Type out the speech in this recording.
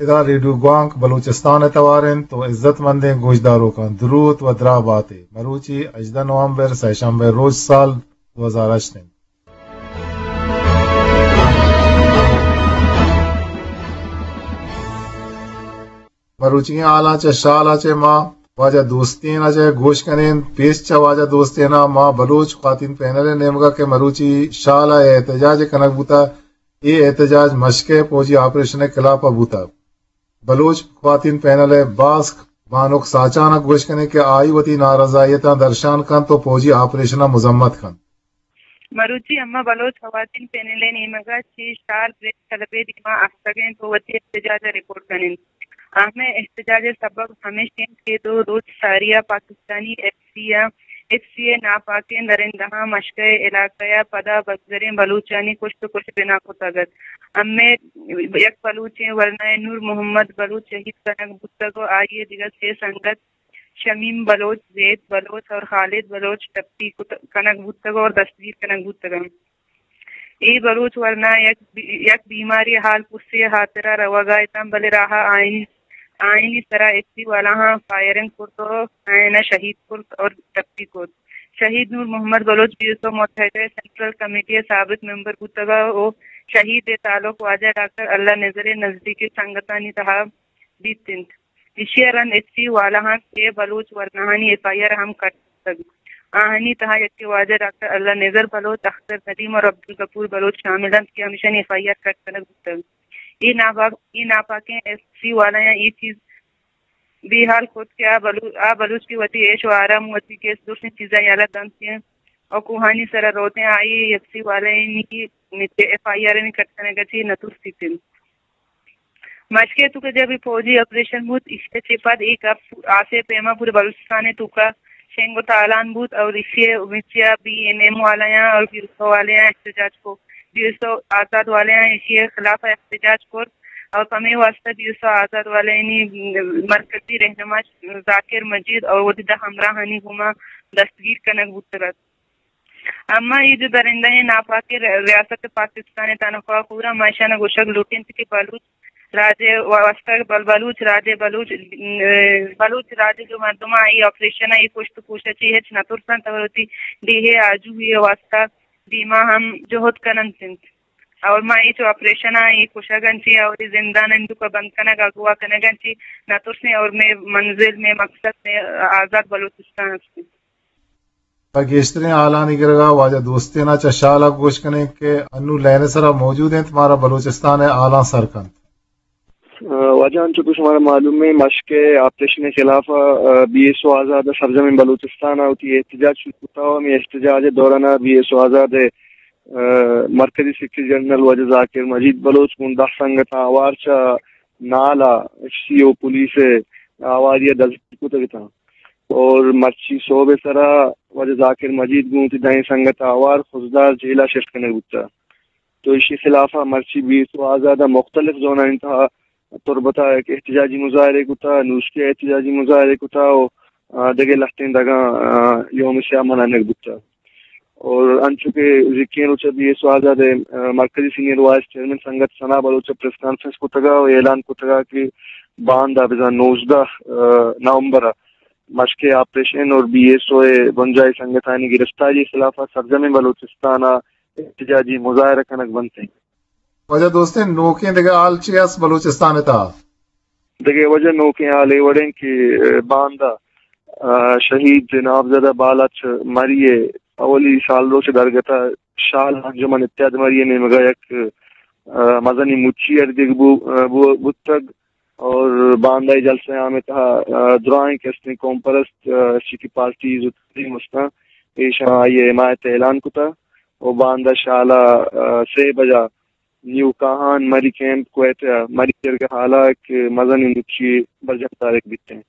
دا ریڈیو گوانک بلوچستان ءِ توار انت و عزت مندیں گوشداروکاں دروت و دراہ باتے۔ مروچی ہژدہ نومبر، سئے شنبہ روچ، سال دو ہزار ہشت انت۔ مروچیگیں حالاں چہ شال ءَ چہ ما واجہ دوستین ءَ چہ گوش کنیں۔ پیش چہ واجہ دوستین ءَ ما بلوچ خواتین پینل ءِ نیمگ ءَ کہ مروچی شال ءَ احتجاج کنگ بوتگ، اے احتجاج مشکے پوجی آپریشن ءِ خلاف ءَ بوتگ۔ بلوچ خواتین پینل ءِ باسک بانک ساچان ءَ گوش کنیں کہ آئی وتی نارضائیتاں درشان کنت و پوجی آپریشن ءَ مذمت کنت۔ مروچی اماں بلوچ خواتین پینل ءِ نیمگ ءَ چہ شال پریس کلب ءِ دیما آستگ ایں و وتی احتجاج ءَ رپورٹ کن انت۔ آہمیں احتجاج ءِ سبب ہمیش انت کہ دو روچ ساری ءَ پاکستانی ایف سی ءَ، ایف سی ءِ ناپاکیں درندہاں مشکہ ءِ علاقہ ءَ پدا بزگریں بلوچانی کشت و کش بنا کتگ ات۔ ہمے یک بلوچیں ورنا ءِ نور محمد بلوچ شہید کنگ بوتگ و آئی ءِ دگہ سے سنگت شمیم بلوچ، زید بلوچ اور خالد بلوچ ٹپی کت-، کنگ بوتگ اور دستگیر کنگ بوتگ انت۔ اے بلوچ ورنا یک بی-، یک بیماری حال پرسی ءِ ہاترا روگا اتاں، بلے راہ ءَ آئینی، آئینی سرا ایف سی والاہاں فائرنگ کرت و آئینا شہید کرت اور ٹپی کرت۔ شہید نور محمد بلوچ بی ایس او متحدہ سینٹرل کمیٹی ءِ سابق ممبر بوتگ و شہید ءِ تعلق واجہ ڈاکٹر اللہ نذر ءِ نزدیکی سنگتانی تہا بیت انت۔ ایشی ءَ رند ایف سی والاہاں سے بلوچ ورناہانی ایف آئی آر ہم کٹ کتگ۔ آہانی تہا یکے واجہ ڈاکٹر اللہ نذر بلوچ، اختر ندیم اور عبدالغفور بلوچ شامل انت کہ ہمیشانی ایف آئی آر کٹ کنگ بوتگ۔ اے ناپاک، اے ناپاکیں ایف سی والایاں اے چیز بے حال کت کہ آ بلو-، آ بلوچ کہ وتی عیش و آرام، وتی گیس، درستیں چیزاں یلہ دنت انت اور کوہانی سرا روت انت، آئی ایف سی والایانی ایف آئی آر انی کٹ کنگ ءَ چہ نہ ترسیت انت۔ مشکے تو کہ جب یہ فوجی آپریشن بوت، ایشی چہ پد اے گپ آسے پیما پورے بلوچستان ءِ توکا شنگ و تالان بوت اور ایشی مرچی ءَ بی این ایم والیاں اور بی ایس او والیاں احتجاج کو، بی ایس او آزاد والیاں ایشی خلاف احتجاج کرت اور پمے واسطہ بی ایس او آزاد والیانی مرکزی رہنما ذاکر مجید اور وتی دہ ہمراہانی گوما دستگیر کنگ بوتگ ات۔ اما اے جو درندہیں ناپاکیں ر-، ریاست پاکستان ءِ تنخواہ خوراں، ما اشاناں گوشگ لوٹیں کہ بلوچ راج ءِ واستہ، بل-، بلوچ راج ءِ، بلوچ، ا، بلوچ راج ءِ جو مردماں اے آپریشن ءَ، اے کشت و کوش ءَ چہ ہچ نہ ترسنت اور وتی ڈیہہ ءِ آجوئی ءِ واستہ دیما ہم جہد کننت انت۔ اور ما اے چو آپریشن ءَ، اے کشگ ءَ چہ اور اے زندان ءِ توکا بند کنگ، اغوا کنگ ءَ چہ نہ ترسیں اور مئے منزل، مئے مقصد، مئے آزاد بلوچستان است انت۔ پہ گیشتریں حالانی گرگا واجہ دوستین ءَ چہ شال ءَ گوش کنیں کہ انو لائن ءِ سرا موجود انت، مارا بلوچستان ءِ حالاں سر کنت۔ آ، واجہ، انچو کہ شمارا معلوم ہے، مشکے آپریشن ءِ خلاف ءَ، آ، بی ایس او آزاد ءَ سرجمیں بلوچستان ءَ وتی احتجاج شروع کتا و ہمے احتجاج ءِ دوران ءَ بی ایس او آزاد ءِ، آ، مرکزی سیکرٹری جنرل واجہ ذاکر مجید بلوچ گوں دہ سنگتاں ہوار چہ نال ءَ ایف سی او پولیس ءِ ہواری ءَ دزگیر کتگ اتاں۔ اور مرچی صحب ءِ سرا واجہ ذاکر مجید گوں وتی دہیں سنگت ءَ ہوار خضدار جیل ءَ شفٹ کنگ بوتگ۔ تو ایشی خلاف ءَ مرچی بی ایس او آزاد ءَ مختلف زونانی تہا تربت ءَ یک احتجاجی مظاہرے کتا، نوشکی ءَ احتجاجی مظاہرے کتا و، آ، دگہ لہتیں دگاں، آ، یوم سیاہ منانگ بوتا۔ اور انچو کہ زکیں روچ ءَ بی ایس او آزاد ءِ، آ، مرکزی سینئر وائس چیئرمین سنگت ثنا بلوچ ءَ پریس کانفرنس کتگا و اعلان کتگا کہ باندا بزاں نوزدہ، آ، نومبر ءَ مشکے آپریشن اور بی ایس او ءِ بنجاہی سنگتانی گرفتاری ءِ خلاف ءَ سرجمیں بلوچستان ءَ احتجاجی مظاہرہ کنگ بنت انت۔ واجہ دوستین، نوکیں دگہ حال چی است بلوچستان ءِ تہا؟ دگہ واجہ نوکیں حال اے وڑ انت کہ، آ، باندا، آ، شہید نامزدہ بالاچ مری ءِ اولی سالروچ ءِ درگت ءَ شال انجمن اتحاد مری ءِ نیمگ ءَ یک، آ، مزنیں مچی اردگ بو-، آ، بو-، بوتگ۔ اور باندا اے جلسہ عام ءِ تہا، آ، درائیں کہ استیں قوم پرست، آ، سیاسی پارٹیز و تنظیم استاں، ایشاں آئی ءِ حمایت ءِ اعلان کتا۔ و باندا شال ءَ، آ، سے بجا نیو کاہان مری کیمپ کوئٹہ ءَ مری جرگہ ہال ءَ یک مزنیں مچی برجم دارگ بیتیں۔